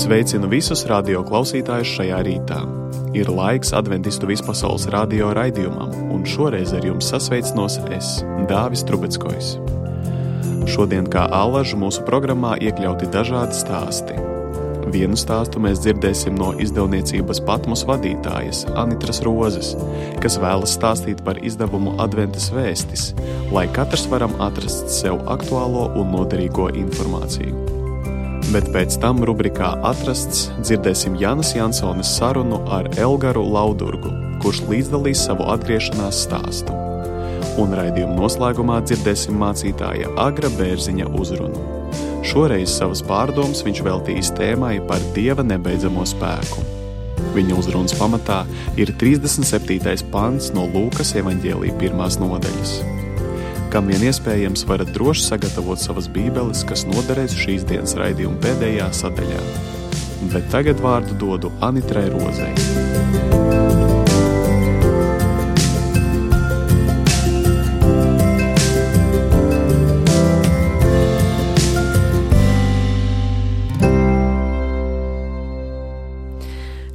Sveicinu visus radio klausītājus šajā rītā. Ir laiks Adventistu vispasaules radio raidījumam, un šoreiz ar jums sasveicinos es, Dāvis Trubeckojs. Šodien kā allažu mūsu programmā iekļauti dažādi stāsti. Vienu stāstu mēs dzirdēsim no izdevniecības Patmos vadītājas Anitras Rozes, kas vēlas stāstīt par izdevumu Adventas vēstis, lai katrs varam atrast sev aktuālo un noderīgo informāciju. Bet pēc tam rubrikā Atrasts dzirdēsim Jānas Jansones sarunu ar Elgaru Laudurgu, kurš līdzdalīs savu atgriešanās stāstu. Un raidījuma noslēgumā dzirdēsim mācītāja Agra Bērziņa uzrunu. Šoreiz savas pārdomas viņš veltījis tēmai par Dieva nebeidzamo spēku. Viņa uzrunas pamatā ir 37. pants no Lūkas evaņģēlija 1. nodaļas. Kam vien iespējams, varat droši sagatavot savas bībeles, kas noderēs šīs dienas raidījuma pēdējā sadaļā. Bet tagad vārdu dodu Anitrai Rozei.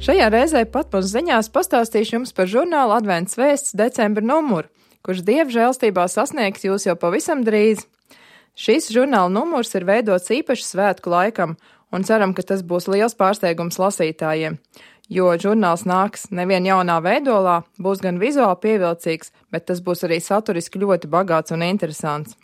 Šajā reizē Patmos ziņās pastāstīšu jums par žurnālu Advents vēsts decembra numuru, kurš Dieva žēlstībā sasniegs jūs jau pavisam drīz. Šis žurnāla numurs ir veidots īpaši svētku laikam, un ceram, ka tas būs liels pārsteigums lasītājiem, jo žurnāls nāks nevien jaunā veidolā, būs gan vizuāli pievilcīgs, bet tas būs arī saturiski ļoti bagāts un interesants.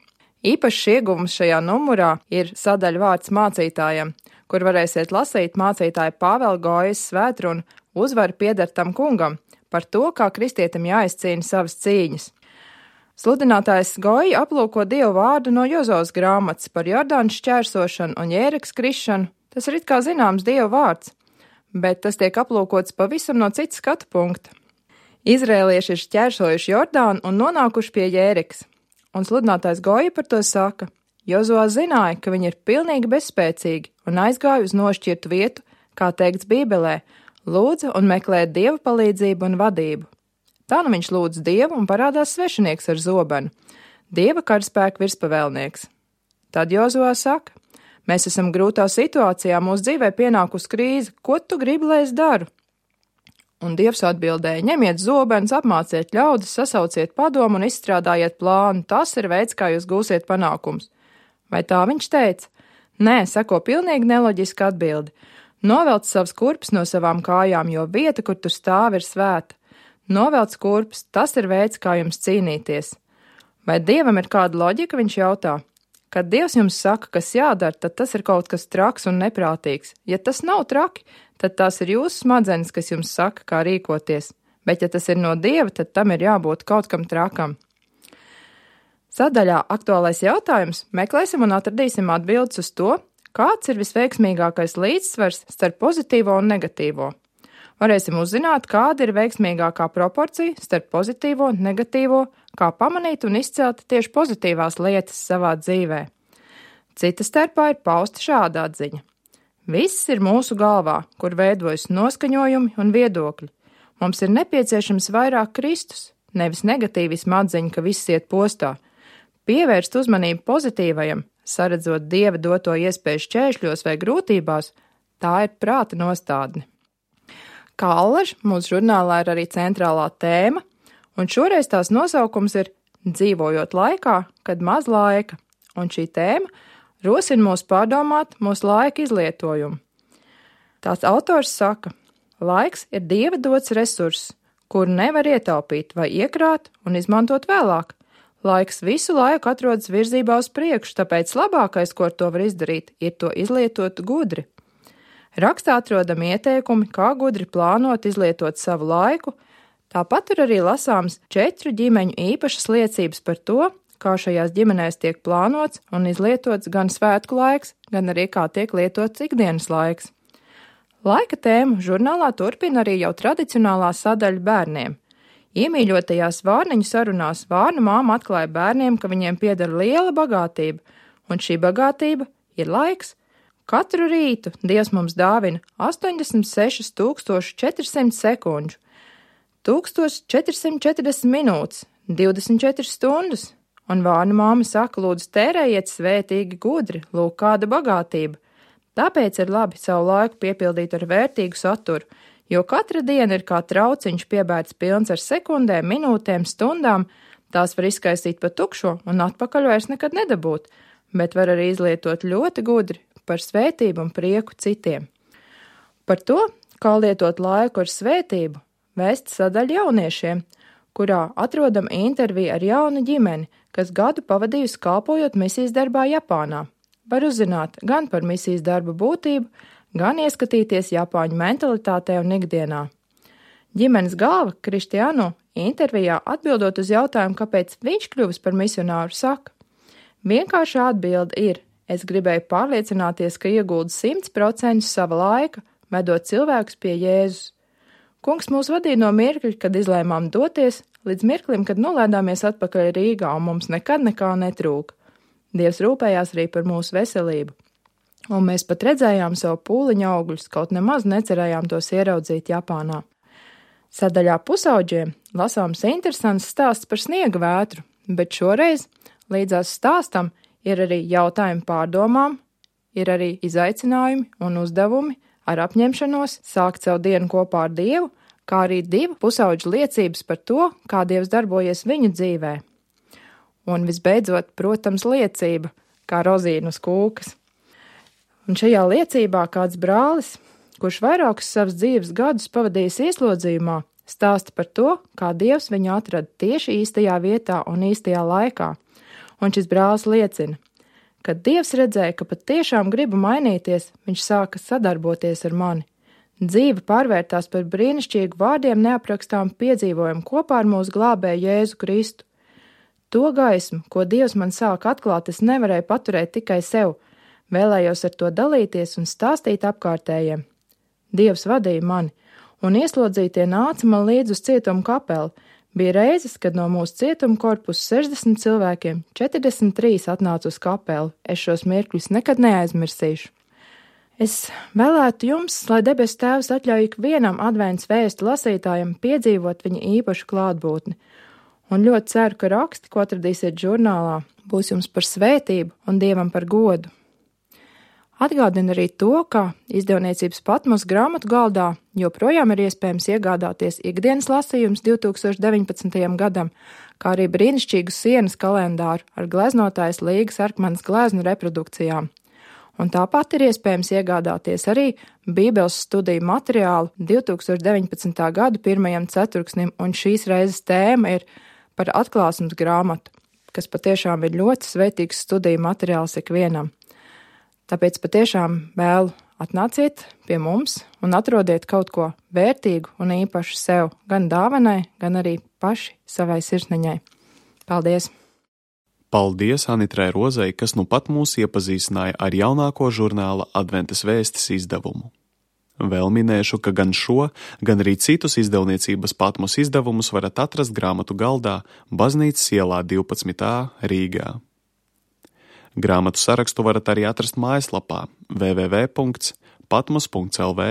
Īpašs ieguvums šajā numurā ir sadaļa vārds mācītājam, kur varēsiet lasīt mācītāja Pāvela Gojas svētrunu Uzvara pieder tam kungam par to, kā kristietim jāizcīna savas cīņas. Sludinātājs Goja aplūko Dievu vārdu no Jozovas grāmatas par Jordānu šķērsošanu un Jērikas krišanu. Tas ir it kā zināms Dieva vārds, bet tas tiek aplūkots pavisam no cita skatu punkta. Izrēlieši ir šķērsojuši Jordānu un nonākuši pie Jērikas, un sludinātājs Goja par to saka: Jozovā zināja, ka viņi ir pilnīgi bezspēcīgi un aizgāja uz nošķirtu vietu, kā teikts Bībelē, lūdza un meklēja Dieva palīdzību un vadību. Tā nu viņš lūdz Dievu un parādās svešinieks ar zobenu, Dieva karaspēka virspavēlnieks. Tad Jozovā saka: mēs esam grūtā situācijā, mūsu dzīvē pienākusi krīze, ko tu gribi, lai es daru? Un Dievs atbildēja: ņemiet zobenus, apmāciet ļaudis, sasauciet padomu un izstrādājiet plānu, tas ir veids, kā jūs gūsiet panākums. Vai tā viņš teica? Nē, sako pilnīgi neloģiska atbildi. Novelc savas kurpes no savām kājām, jo vieta, kur tu stāvi, ir svēta. Novelc kurpes, tas ir veids, kā jums cīnīties. Vai Dievam ir kāda loģika, viņš jautā? Kad Dievs jums saka, kas jādara, tad tas ir kaut kas traks un neprātīgs. Ja tas nav traki, tad tās ir jūsu smadzenes, kas jums saka, kā rīkoties. Bet ja tas ir no Dieva, tad tam ir jābūt kaut kam trakam. Sadaļā Aktuālais jautājums meklēsim un atradīsim atbildes uz to, kāds ir visveiksmīgākais līdzsvars starp pozitīvo un negatīvo. Varēsim uzzināt, kāda ir veiksmīgākā proporcija starp pozitīvo un negatīvo, kā pamanīt un izcelt tieši pozitīvās lietas savā dzīvē. Cita starpā ir pausta šāda atziņa. Viss ir mūsu galvā, kur veidojas noskaņojumi un viedokļi. Mums ir nepieciešams vairāk Kristus, nevis negatīvisma atziņa, ka viss iet postā. Pievērst uzmanību pozitīvajam, saredzot Dieva doto iespēju šķēršļos vai grūtībās, tā ir prāta nostādne. Kā allaž, mūsu žurnālā ir arī centrālā tēma, un šoreiz tās nosaukums ir Dzīvojot laikā, kad maz laika, un šī tēma rosina mūs pārdomāt mūsu laika izlietojumu. Tās autors saka: laiks ir Dieva dots resurss, kuru nevar ietaupīt vai iekrāt un izmantot vēlāk. Laiks visu laiku atrodas virzībā uz priekšu, tāpēc labākais, ko ar to var izdarīt, ir to izlietot gudri. Rakstā atrodami ieteikumi, kā gudri plānot izlietot savu laiku, tāpat tur arī lasāms 4 ģimeņu īpašas liecības par to, kā šajās ģimenēs tiek plānots un izlietots gan svētku laiks, gan arī kā tiek lietots ikdienas laiks. Laika tēmu žurnālā turpina arī jau tradicionālā sadaļa bērniem. Iemīļotajās vārniņu sarunās vārnu māma atklāja bērniem, ka viņiem pieder liela bagātība, un šī bagātība ir laiks. Katru rītu Dievs mums dāvina 86 400 sekundžu, 1440 minūtes, 24 stundas, un vārnu māma saka, lūdzu tērējiet svētīgi gudri, lūk kāda bagātība. Tāpēc ir labi savu laiku piepildīt ar vērtīgu saturu, jo katra diena ir kā trauciņš piebērts pilns ar sekundēm, minūtēm, stundām, tās var izskaistīt pa tukšo un atpakaļ vairs nekad nedabūt, bet var arī izlietot ļoti gudri par svētību un prieku citiem. Par to, kā lietot laiku ar svētību, vēst sadaļa jauniešiem, kurā atrodam interviju ar jaunu ģimeni, kas gadu pavadījusi kalpojot misijas darbā Japānā. Var uzzināt gan par misijas darba būtību, gan ieskatīties Japāņu mentalitātē un ikdienā. Ģimenes galva Kristiānu intervijā atbildot uz jautājumu, kāpēc viņš kļuvis par misionāru, saka: vienkārša atbilde ir: es gribēju pārliecināties, ka ieguldu 100% sava laika, vedot cilvēkus pie Jēzus. Kungs mūs vadīja no mirkļa, kad izlēmām doties, līdz mirklim, kad nolēdāmies atpakaļ Rīgā un mums nekad nekā netrūka. Dievs rūpējās arī par mūsu veselību, un mēs pat redzējām savu pūliņu augļus, kaut nemaz necerējām tos ieraudzīt Japānā. Sadaļā pusauģiem lasāms interesants stāsts par sniega vētru, bet šoreiz līdzās stāstam ir arī jautājumi pārdomām, ir arī izaicinājumi un uzdevumi ar apņemšanos sākt savu dienu kopā ar Dievu, kā arī 2 pusauģu liecības par to, kā Dievs darbojies viņu dzīvē. Un visbeidzot, protams, liecība, kā rozīna uz kūkas. Un šajā liecībā kāds brālis, kurš vairākus savus dzīves gadus pavadījis ieslodzījumā, stāsta par to, kā Dievs viņu atrada tieši īstajā vietā un īstajā laikā. Un šis brālis liecina: kad Dievs redzēja, ka patiešām gribu mainīties, viņš sāka sadarboties ar mani. Dzīve pārvērtās par brīnišķīgu vārdiem neaprakstām piedzīvojumu kopā ar mūsu glābēju Jēzu Kristu. To gaismu, ko Dievs man sāka atklāt, es nevarēju paturēt tikai sev, vēlējos ar to dalīties un stāstīt apkārtējiem. Dievs vadīja mani, un ieslodzītie nāca man līdz uz cietumu kapeli. Bija reizes, kad no mūsu cietuma korpusa 60 cilvēkiem 43 atnāca uz kapeli. Es šos mirkļus nekad neaizmirsīšu. Es vēlētu jums, lai debesu Tēvs atļauj ikvienam advents vēstu lasītājam piedzīvot viņa īpašu klātbūtni. Un ļoti ceru, ka raksti, ko atradīsiet žurnālā, būs jums par svētību un Dievam par godu. Atgādina arī to, ka izdevniecības Patmos grāmatu galdā joprojām ir iespējams iegādāties ikdienas lasījums 2019. gadam, kā arī brīnišķīgu sienas kalendāru ar gleznotājas Līgas Arkmanas gleznu reprodukcijām. Un tāpat ir iespējams iegādāties arī Bībeles studiju materiālu 2019. gada 1. ceturksnim, un šīs reizes tēma ir par atklāsmes grāmatu, kas patiešām ir ļoti svētīgs studiju materiāls ikvienam. Tāpēc patiešām vēlu atnāciet pie mums un atrodiet kaut ko vērtīgu un īpašu sev, gan dāvanai, gan arī paši savai sirsniņai. Paldies! Paldies Anitrai Rozei, kas nu pat mūs iepazīstināja ar jaunāko žurnāla Adventas vēstis izdevumu. Vēl minēšu, ka gan šo, gan arī citus izdevniecības Patmos izdevumus varat atrast grāmatu galdā Baznīcas ielā 12a Rīgā. Grāmatu sarakstu varat arī atrast mājaslapā www.patmos.lv,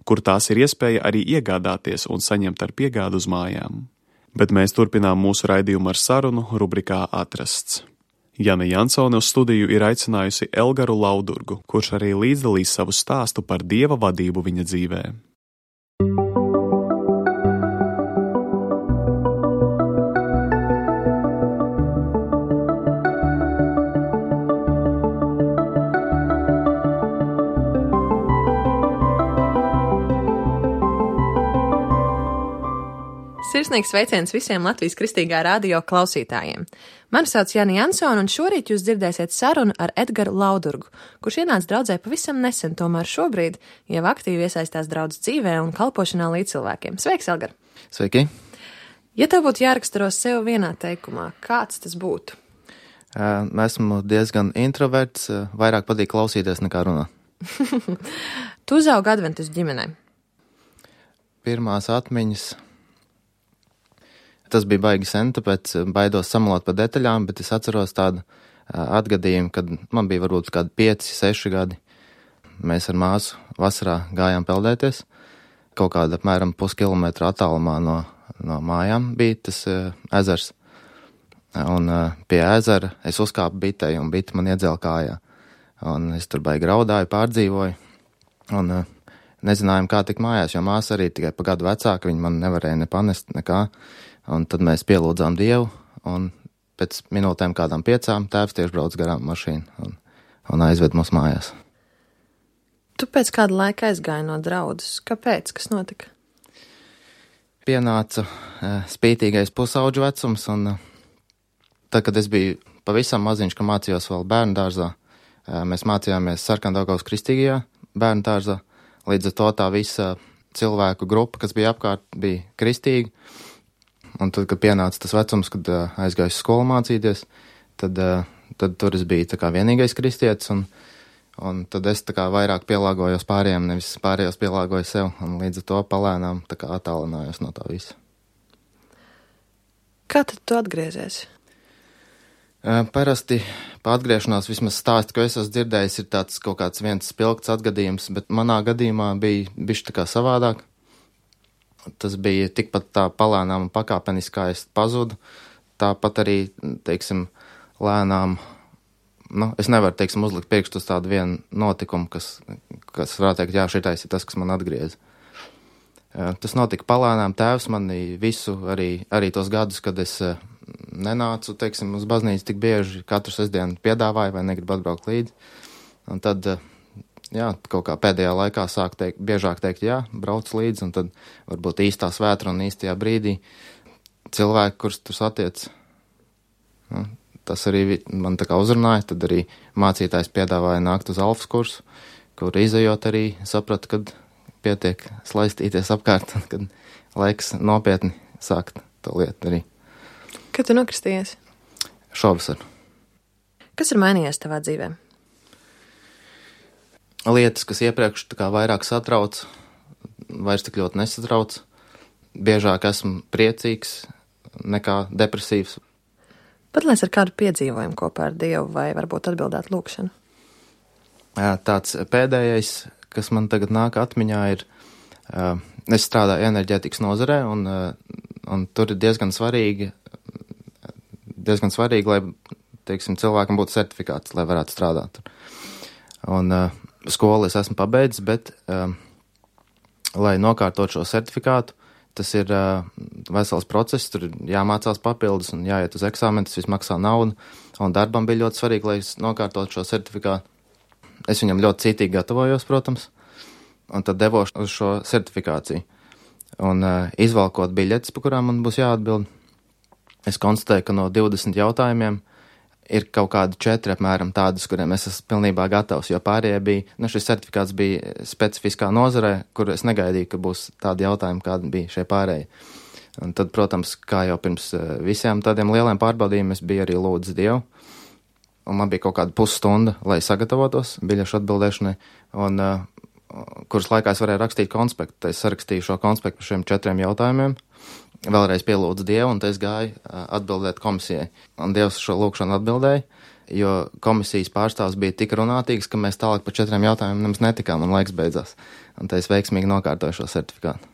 kur tās ir iespēja arī iegādāties un saņemt ar piegādu uz mājām. Bet mēs turpinām mūsu raidījumu ar sarunu rubrikā Atrasts. Jana Jansone uz studiju ir aicinājusi Elgaru Laudurgu, kurš arī līdzdalīs savu stāstu par Dieva vadību viņa dzīvē. Sirsnīgs sveiciens visiem Latvijas Kristīgā radio klausītājiem. Mani sauc Jana Jansone, un šorīt jūs dzirdēsiet sarunu ar Edgaru Laudurgu, kurš ienāca draudzē pavisam nesen, tomēr šobrīd jau aktīvi iesaistās draudzes dzīvē un kalpošanā līdz cilvēkiem. Sveiks, Elgar! Sveiki! Ja tev būtu jāraksturo sev vienā teikumā, kāds tas būtu? Esmu diezgan introverts, vairāk patīk klausīties nekā runāt. Tu uzaugi adventus ģimenē. Pirmās atmiņas. Tas bija baigi sen, tāpēc baidos samalot par detaļām, bet es atceros tādu atgadījumu, kad man bija varbūt kādi 5, 6 gadi. Mēs ar māsu vasarā gājām peldēties. Kaut kāda apmēram puskilometra attālumā no mājām bija tas ezers. Un pie ezera es uzkāpu bitei, un bita man iedzēla kājā. un es tur baigi raudāju, pārdzīvoju, un nezinājām, kā tikt mājās, jo māsa arī tikai pa gadu vecāka, viņa man nevarēja ne panest, nekā, un tad mēs pielūdzām Dievu, un pēc minūtēm kādām 5 tēvs tieši brauc garām mašīnu un aizved mūs mājās. Tu pēc kāda laika aizgāji no draudzes. Kāpēc? Kas notika? Pienāca spītīgais pusauģu vecums, un tad, kad es biju pavisam maziņš, ka mācījos vēl bērnu dārzā, mēs mācījāmies Sarkandaugavas kristīgajā bērnu dārzā. Līdz ar to tā visa cilvēku grupa, kas bija apkārt, bija kristīga. Un tad, kad pienāca tas vecums, kad aizgāju skolu mācīties, tad tur es biju tā kā vienīgais kristietis, un tad es tā kā vairāk pielāgojos pārējiem, nevis pārējos pielāgoju sev, un līdz ar to palēnām tā kā attālinājos no tā visa. Kā tad tu atgriezies? Parasti pa atgriešanās vismaz stāsti, ko es esmu dzirdējis, ir tāds kaut kāds viens spilgts atgadījums, bet manā gadījumā bija bišķi tā kā savādāk. Tas bija tikpat tā palēnām un pakāpeniski, kā es pazudu, tāpat arī, teiksim, lēnām, es nevaru, teiksim, uzlikt priekšstus uz tādu vienu notikumu, kas varētu teikt, jā, šitais ir tas, kas man atgriez. Tas notika palēnām, tēvs mani visu, arī tos gadus, kad es nenācu, teiksim, uz baznīcu tik bieži, katru sestdienu piedāvāju vai negribu atbraukt līdzi. Un tad, jā, kaut kā pēdējā laikā sāk biežāk teikt, jā, brauc līdzi, un tad varbūt īstā svētra un īstajā brīdī cilvēki, kurus tur satiec, tas arī man tā kā uzrunāja, tad arī mācītājs piedāvāja nākt uz alfas kursu, kur izejot arī sapratu, kad pietiek slaistīties apkārt, kad laiks nopietni sākt to lietu arī. Kad tu nokristījies? Šovasar. Kas ir mainījies tavā dzīvē? Lietas, kas iepriekš tā kā vairāk satrauc, vairs tik ļoti nesatrauc. Biežāk esmu priecīgs nekā depresīvs. Padalies ar kādu piedzīvojumu kopā ar Dievu vai varbūt atbildēt lūkšanu? Tāds pēdējais, kas man tagad nāk atmiņā, ir, es strādāju enerģētikas nozarē, un tur ir diezgan svarīgi, lai, teiksim, cilvēkam būtu certifikāts, lai varētu strādāt tur. Un skolu es esmu pabeidzis, bet, lai nokārtot šo certifikātu, tas ir vesels process, tur jāmācās papildus un jāiet uz eksāmenu, tas viss maksā naudu, un darbam bija ļoti svarīgi, lai es nokārtot šo certifikātu. Es viņam ļoti cītīgi gatavojos, protams, un tad devos uz šo certifikāciju. Un izvalkot biļetes, pa kurām man būs jāatbild, es konstatēju, ka no 20 jautājumiem ir kaut kādi 4 apmēram tādus, kuriem es esmu pilnībā gatavs, jo pārējie bija, šis certifikāts bija specifiskā nozarē, kur es negaidīju, ka būs tādi jautājumi, kādi bija šie pārējie. Un tad, protams, kā jau pirms visiem tādiem lieliem pārbaudījumiem, es biju arī lūdzis Dievu, un man bija kaut kāda pusstunda, lai sagatavotos biļešu atbildēšanai, un kuras laikā es varēju rakstīt konspektu. Es sarakstīju šo konspektu par šiem 4 jautājumiem, vēlreiz pielūdzu Dievu, un es gāju atbildēt komisijai. Un Dievs šo lūkšanu atbildēja, jo komisijas pārstāvs bija tik runātīgs, ka mēs tālāk par 4 jautājumiem nemaz netikām, un laiks beidzās. Un tad es veiksmīgi nokārtoju šo certifikātu.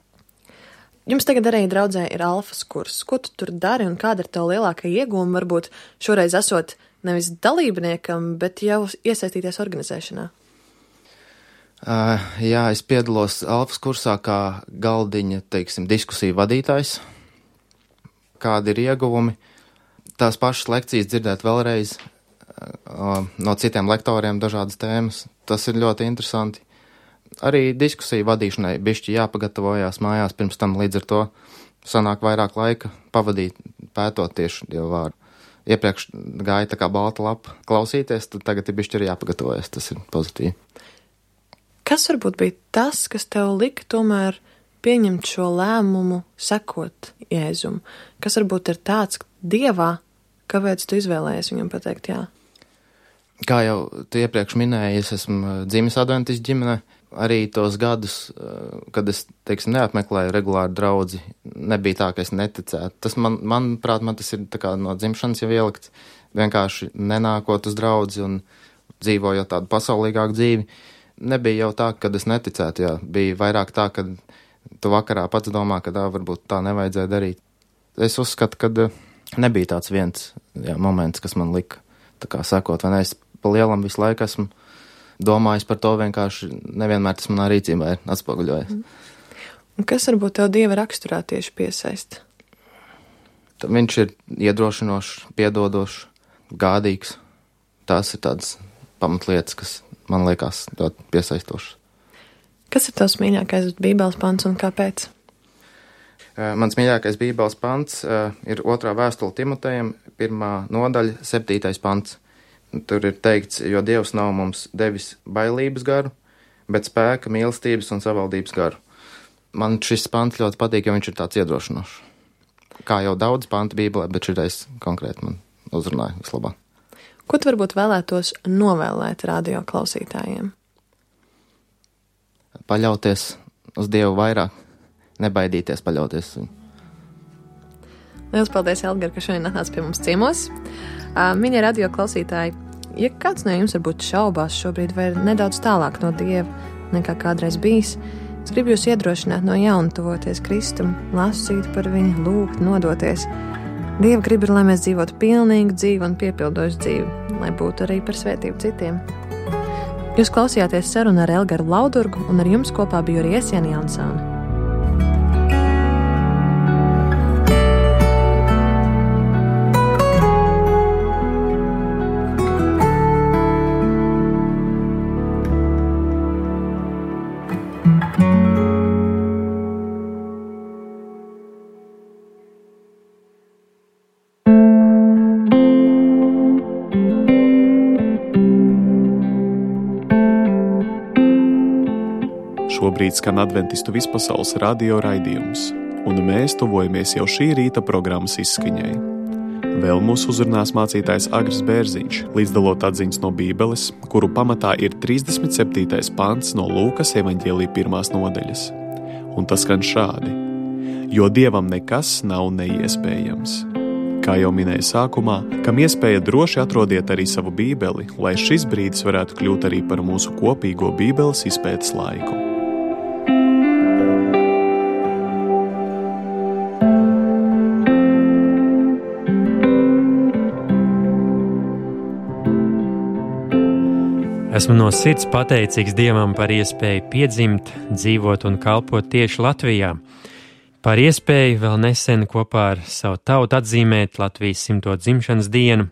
Jums tagad arī draudzē ir alfas kurs. Ko tu tur dari un kāda ir tev lielākā iegūma, varbūt šoreiz esot nevis dalībniekam, bet jau iesaistīties organizēšanā? Jā, es piedalos alfas kursā kā galdiņa, teiksim, diskusiju vadītājs. Kādi ir ieguvumi? Tās pašas lekcijas dzirdēt vēlreiz no citiem lektoriem dažādas tēmas. Tas ir ļoti interesanti. Arī diskusiju vadīšanai bišķi jāpagatavojās mājās, pirms tam līdz ar to sanāk vairāk laika pavadīt pētot tieši Dievu vārdu. Iepriekš gāja tā kā balta lapa klausīties, tad tagad ir bišķi arī jāpagatavojas, tas ir pozitīvi. Kas varbūt bija tas, kas tev lika tomēr pieņemt šo lēmumu, sekot Jēzum? Kas varbūt ir tāds Dievā, kāpēc tu izvēlējies viņam pateikt jā? Kā jau tu iepriekš minēji, es esmu dzimis adventistu ģimenē. Arī tos gadus, kad es, teiksim, neapmeklēju regulāru draudzi, nebija tā, ka es neticētu. Tas manuprāt, tas ir tā kā no dzimšanas jau ielikts, vienkārši nenākot uz draudzi un dzīvojot tādu pasaulīgāku dzīvi. Nebija jau tā, kad es neticētu, jā. Bija vairāk tā, kad tu vakarā pats domā, ka varbūt tā nevajadzēja darīt. Es uzskatu, ka nebija tāds viens moments, kas man lika tā kā sekot, vai ne, es pa lielam visu laiku esmu domājis par to, vienkārši nevienmēr tas manā rīcībā ir atspoguļojies. Un kas varbūt tev Dieva raksturā tieši piesaista? Viņš ir iedrošinošs, piedodošs, gādīgs. Tās ir tādas pamatlietas, kas man liekas ļoti piesaistošas. Kas ir tavs mīļākais Bībeles pants un kāpēc? Mans mīļākais Bībeles pants ir 2. vēstule Timotejam, 1. nodaļa, 7. pants. Tur ir teikts, jo Dievs nav mums devis bailības garu, bet spēka, mīlestības un savaldības garu. Man šis pants ļoti patīk, jo viņš ir tāds iedrošinošs. Kā jau daudz pantu Bībelē, bet šitais konkrēti man uzrunāja vislabāk. Ko tu varbūt vēlētos novēlēt radio klausītājiem? Paļauties uz Dievu vairāk, nebaidīties paļauties viņu. Liels paldies, Elgar, ka šodien atnāc pie mums ciemos. Mīļie radio klausītāji, ja kāds no jums varbūt šaubās šobrīd vai ir nedaudz tālāk no Dieva nekā kādreiz bijis, es gribu jūs iedrošināt no jauna tuvoties Kristum, lasīt par viņu, lūgt, nodoties. Dieva grib ir, lai mēs dzīvotu pilnīgu dzīvi un piepildošu dzīvi, lai būtu arī par svētību citiem. Jūs klausījāties sarunu ar Elgaru Laudurgu, un ar jums kopā biju arī es, Jani Ansone. Šobrīd skan Adventistu vispasaules radio raidījums, un mēs tuvojamies jau šī rīta programmas izskaņai. Vēl mūs uzrunās mācītājs Agris Bērziņš, līdzdalot atziņas no Bībeles, kuru pamatā ir 37. pants no Lūkas evaņģēlija 1. nodaļas. Un tas skan šādi: jo Dievam nekas nav neiespējams. Kā jau minēju sākumā, kam iespēja droši atrodiet arī savu Bībeli, lai šis brīdis varētu kļūt arī par mūsu kopīgo Bībeles izpētes laiku. Esmu no sirds pateicīgs Dievam par iespēju piedzimt, dzīvot un kalpot tieši Latvijā. Par iespēju vēl nesen kopā ar savu tautu atzīmēt Latvijas 100. dzimšanas dienu.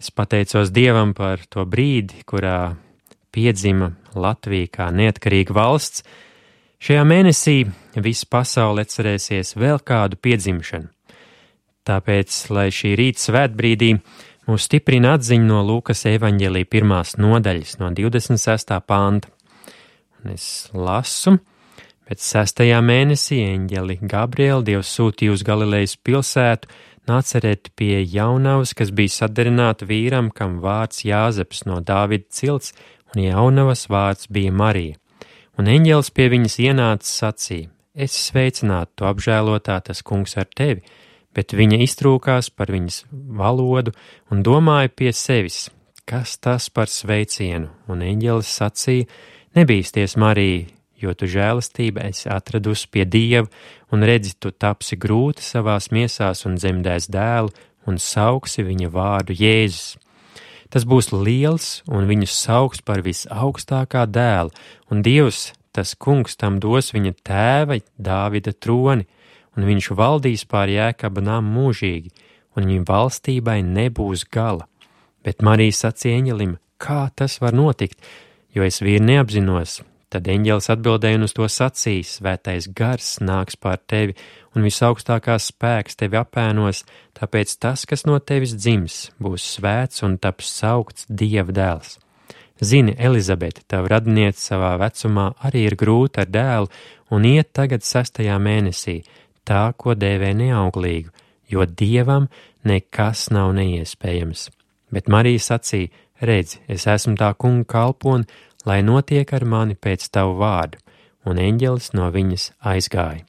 Es pateicos Dievam par to brīdi, kurā piedzima Latvija kā neatkarīga valsts. Šajā mēnesī visa pasaule atcerēsies vēl kādu piedzimšanu. Tāpēc, lai šī rīta svētbrīdī mūs stiprina atziņa no Lūkas evaņģēlija 1. nodaļas, no 26. panta. Un es lasu, pēc 6. mēnesī eņģeli Gabrieli Dievs sūtīja uz Galilejas pilsētu Nācereti pie jaunavas, kas bija sadarināta vīram, kam vārds Jāzeps no Dāvida cilts, un jaunavas vārds bija Marija. Un eņģelis pie viņas ienāca sacīja: es sveicinātu, tu apžēlotā, tas kungs ar tevi. Bet viņa iztrūkās par viņas valodu un domāja pie sevis, kas tas par sveicienu, un eņģelis sacīja: nebīsties, Marija, jo tu žēlastība esi atradusi pie Dieva, un redzi, tu tapsi grūti savās miesās un dzemdēs dēlu, un sauksi viņa vārdu Jēzus. Tas būs liels, un viņu sauks par visaugstākā dēlu, un Dievs, tas kungs, tam dos viņa tēva Dāvida troni, un viņš valdīs pār Jēkaba namu mūžīgi, un viņa valstībai nebūs gala. Bet Marija sacīja eņģelim: kā tas var notikt, jo es vīru neapzinos? Tad eņģelis atbildēja un uz to sacīja: svētais gars nāks pār tevi, un visaugstākās spēks tevi apēnos, tāpēc tas, kas no tevis dzims, būs svēts un taps saukts Dieva dēls. Zini, Elizabete, tava radiniece savā vecumā arī ir grūta ar dēlu, un iet tagad 6. mēnesī, tā, ko dēvē neauglīgu, jo Dievam nekas nav neiespējams. Bet Marija sacīja: redzi, es esmu tā kunga kalpone, lai notiek ar mani pēc tavu vārdu, un eņģelis no viņas aizgāja.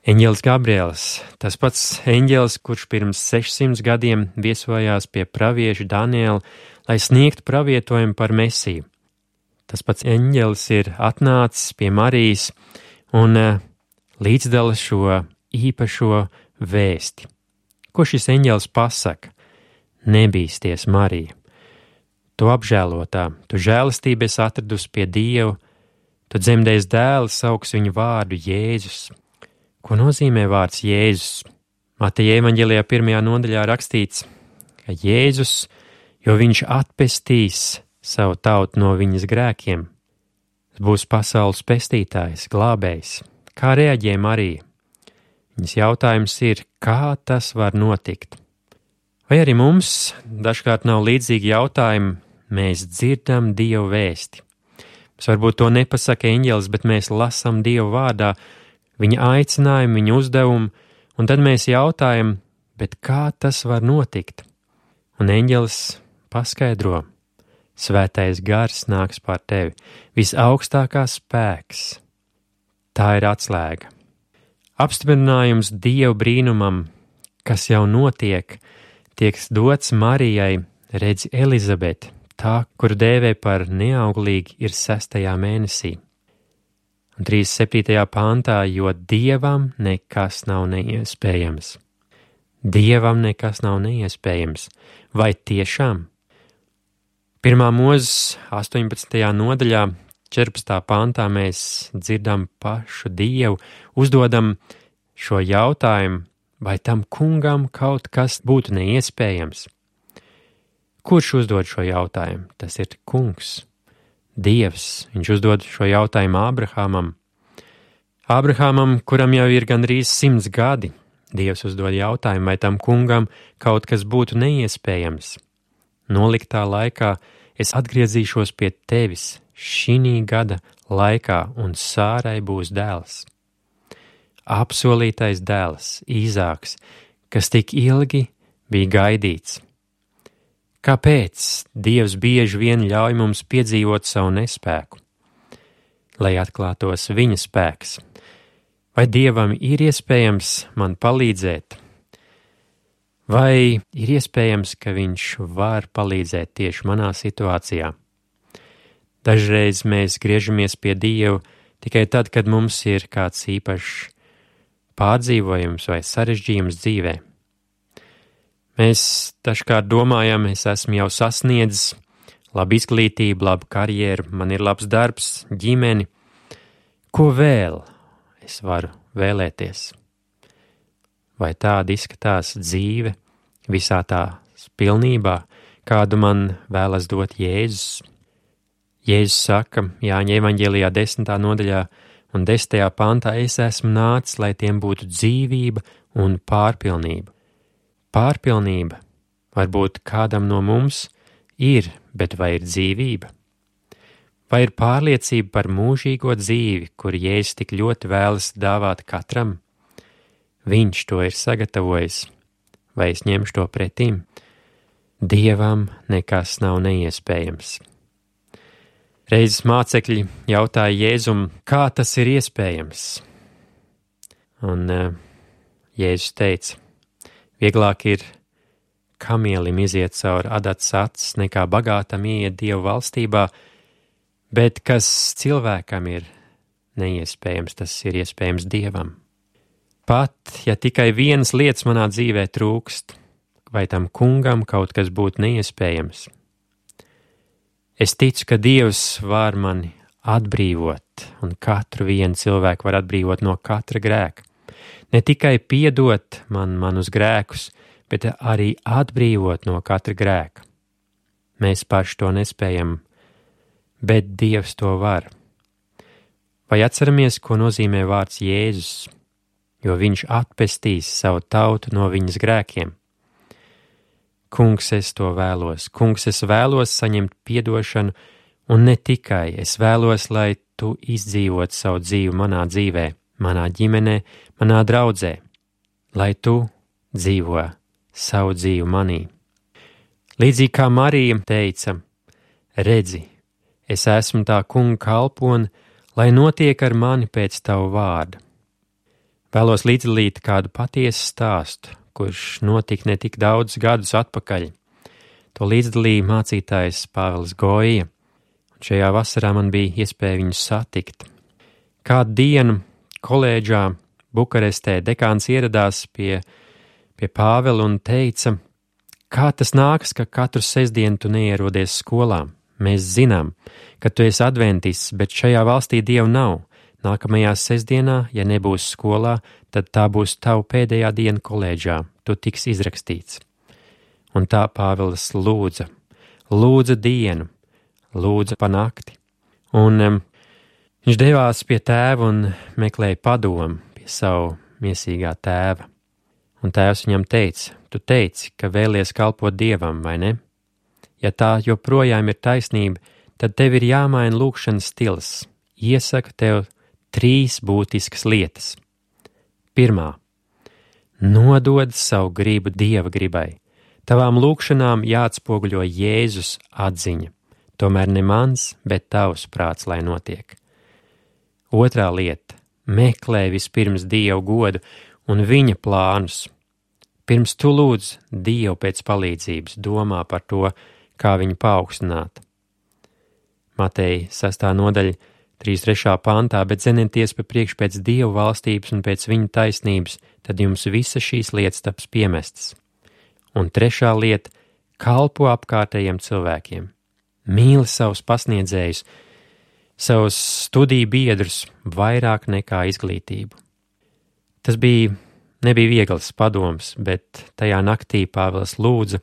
Eņģelis Gabriels, tas pats eņģelis, kurš pirms 600 gadiem viesojās pie pravieša Daniela, lai sniegtu pravietojumu par Mesiju. Tas pats eņģelis ir atnācis pie Marijas un līdzdala šo īpašo vēsti. Ko šis eņģelis pasaka? Nebīsties, Marija. Tu apžēlotā, tu žēlastību esi atradusi pie Dieva, tu dzemdēs dēlu, sauks viņu vārdu Jēzus. Ko nozīmē vārds Jēzus? Mateja evaņģēlijā 1. nodaļā rakstīts, ka Jēzus, jo viņš atpestīs savu tautu no viņas grēkiem, būs pasaules pestītājs, glābējs. Kā reaģē Marija? Viņas jautājums ir, kā tas var notikt? Vai arī mums dažkārt nav līdzīgi jautājumi, mēs dzirdam Dievu vēsti. Mēs varbūt to nepasaka eņģelis, bet mēs lasam Dievu vārdā, viņa aicinājumu, viņa uzdevumu, un tad mēs jautājam, bet kā tas var notikt? Un eņģelis paskaidro, svētais gars nāks pār tevi, visaugstākā spēks. Tā ir atslēga. Apstiprinājums Dieva brīnumam, kas jau notiek, tiek dots Marijai, redzi Elizabeti, tā, kuru dēvē par neauglīgi, ir 6. mēnesī. Un 37. pāntā, jo Dievam nekas nav neiespējams. Dievam nekas nav neiespējams. Vai tiešām? 1. Mūzes 18. nodaļā, 14. pāntā mēs dzirdam pašu Dievu, uzdodam šo jautājumu, vai tam kungam kaut kas būtu neiespējams? Kurš uzdod šo jautājumu? Tas ir kungs, Dievs. Viņš uzdod šo jautājumu Ābrahamam. Ābrahamam, kuram jau ir gandrīz 100 gadi, Dievs uzdod jautājumu, vai tam kungam kaut kas būtu neiespējams. Noliktā laikā es atgriezīšos pie tevis šī gada laikā, un Sārai būs dēls. Apsolītais dēls, Īzāks, kas tik ilgi bija gaidīts. Kāpēc Dievs bieži vien ļauj mums piedzīvot savu nespēku? Lai atklātos viņa spēks. Vai Dievam ir iespējams man palīdzēt? Vai ir iespējams, ka viņš var palīdzēt tieši manā situācijā? Dažreiz mēs griežamies pie Dieva tikai tad, kad mums ir kāds īpašs pārdzīvojums vai sarežģījums dzīvē. Mēs dažkārt domājam, es esmu jau sasniedzis labu izglītību, labu karjeru, man ir labs darbs, ģimeni. Ko vēl es varu vēlēties? Vai tāda izskatās dzīve visā tās pilnībā, kādu man vēlas dot Jēzus? Jēzus saka Jāņa evaņģēlijā 10. nodaļā un 10. pantā, es esmu nācis, lai tiem būtu dzīvība un pārpilnība. Pārpilnība varbūt kādam no mums ir, bet vai ir dzīvība? Vai ir pārliecība par mūžīgo dzīvi, kur Jēzus tik ļoti vēlas dāvāt katram? Viņš to ir sagatavojis, vai es ņemšu to pretīm? Dievam nekas nav neiespējams. Reizes mācekļi jautāja Jēzum, kā tas ir iespējams? Un Jēzus teica, vieglāk ir kamielim iziet cauri adatas acis, nekā bagātam ieiet Dievu valstībā, bet kas cilvēkam ir neiespējams, tas ir iespējams Dievam. Pat, ja tikai vienas lietas manā dzīvē trūkst, vai tam kungam kaut kas būtu neiespējams? Es ticu, ka Dievs var mani atbrīvot, un katru vienu cilvēku var atbrīvot no katra grēka. Ne tikai piedot manus grēkus, bet arī atbrīvot no katra grēka. Mēs paši to nespējam, bet Dievs to var. Vai atceramies, ko nozīmē vārds Jēzus, jo viņš atpestīs savu tautu no viņas grēkiem? Kungs, es to vēlos. Kungs, es vēlos saņemt piedošanu, un ne tikai, es vēlos, lai tu izdzīvot savu dzīvi manā dzīvē, manā ģimenē, manā draudzē, lai tu dzīvo savu dzīvi manī. Līdzīgi kā Marija teica, redzi, es esmu tā kunga kalpone, lai notiek ar mani pēc tavu vārdu. Vēlos līdzdalīt kādu patiesu stāstu, kurš notika ne tik daudz gadus atpakaļ. To līdzdalīja mācītājs Pāvils Goija, un šajā vasarā man bija iespēja viņu satikt. Kādu dienu kolēģā Bukarestē dekāns ieradās pie Pāvela un teica, Kā tas nākas, ka katru sestdienu tu neierodies skolā? Mēs zinām, ka tu esi adventists, bet šajā valstī Dievu nav. Nākamajā sestdienā, ja nebūs skolā, tad tā būs tava pēdējā diena kolēģā. Tu tiks izrakstīts. Un tā Pāvils lūdza dienu, lūdza pa nakti. Un viņš devās pie tēva un meklēja padomu pie savu miesīgā tēva. Un tēvs viņam teica, tu teici, ka vēlies kalpot Dievam, vai ne? Ja tā joprojām ir taisnība, tad tev ir jāmaina lūkšanas stils. Iesaku tev 3 būtiskas lietas. Pirmā. Nodod savu gribu Dieva gribai. Tavām lūkšanām jāatspoguļo Jēzus atziņa. Tomēr ne mans, bet tavs prāts, lai notiek. Otrā lieta. Meklē vispirms Dievu godu un viņa plānus. Pirms tu lūdz Dievu pēc palīdzības, domā par to, kā viņu paaugstināt. Mateja 6. nodaļa, 3.3. pantā, bet zenieties pa priekš pēc Dievu valstības un pēc viņa taisnības, tad jums visas šīs lietas taps piemestas. Un 3. lieta – kalpo apkārtējiem cilvēkiem. Mīli savus pasniedzējus, savus studiju biedrus vairāk nekā izglītību. Tas nebija viegls padoms, bet tajā naktī Pāvils lūdza,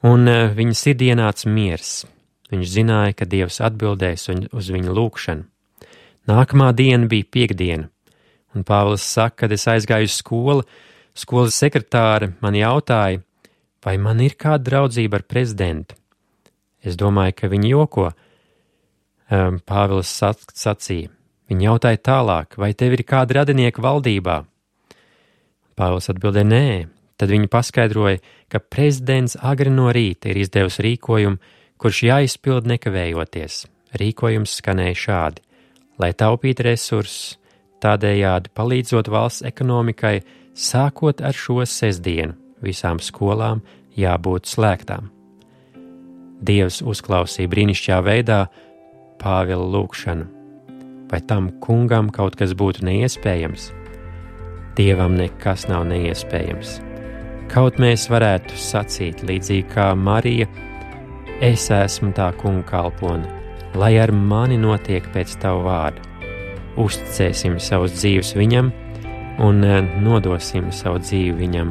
un viņa sirdī ienāca miers. Viņš zināja, ka Dievs atbildēs uz viņa lūgšanu. Nākamā diena bija piektdiena, un Pāvils saka, kad es aizgāju uz skolu, skolas sekretāre man jautāja, vai man ir kāda draudzība ar prezidentu. Es domāju, ka viņi joko. Pāvils sacīja. Viņa jautāja tālāk, vai tev ir kāda radinieka valdībā? Pāvils atbildēja nē. Tad viņa paskaidroja, ka prezidents agri no rīta ir izdevusi rīkojumu, kurš jāizpild nekavējoties. Rīkojums skanēja šādi, lai taupītu resursus, tādējādi palīdzot valsts ekonomikai, sākot ar šo sestdienu, visām skolām jābūt slēgtām. Dievs uzklausīja brīnišķīgā veidā Pāvila lūgšanu. Vai tam kungam kaut kas būtu neiespējams? Dievam nekas nav neiespējams. Kaut mēs varētu sacīt, līdzīgi kā Marija, es esmu tā kunga kalpone, lai ar mani notiek pēc tavu vārdu. Uzticēsim savus dzīves viņam un nodosim savu dzīvi viņam,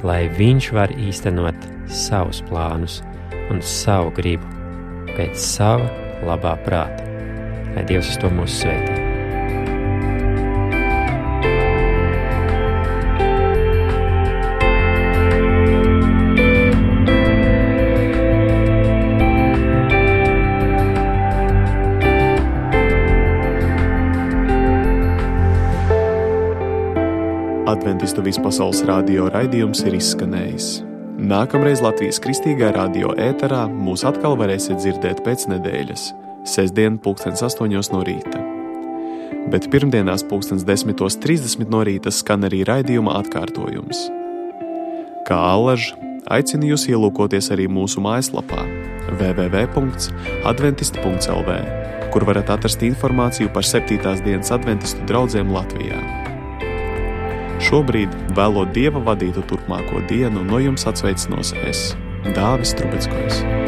lai viņš var īstenot savus plānus un savu gribu pēc sava labā prāta. Lai Dievs uz to mūs svētī. Adventistu vispasaules radio raidījums ir izskanējis. Nākamreiz Latvijas Kristīgā radio ēterā mūs atkal varēsiet dzirdēt pēc nedēļas, sestdien 8:00 no rīta. Bet pirmdienās 10:30 no rīta skan arī raidījuma atkārtojums. Kā allaž, aicinu jūs ielūkoties arī mūsu mājaslapā www.adventist.lv, kur varat atrast informāciju par 7. dienas adventistu draudzēm Latvijā. Šobrīd, vēlot Dieva vadītu turpmāko dienu, no jums atsveicinos es, Dāvis Trubeckojs.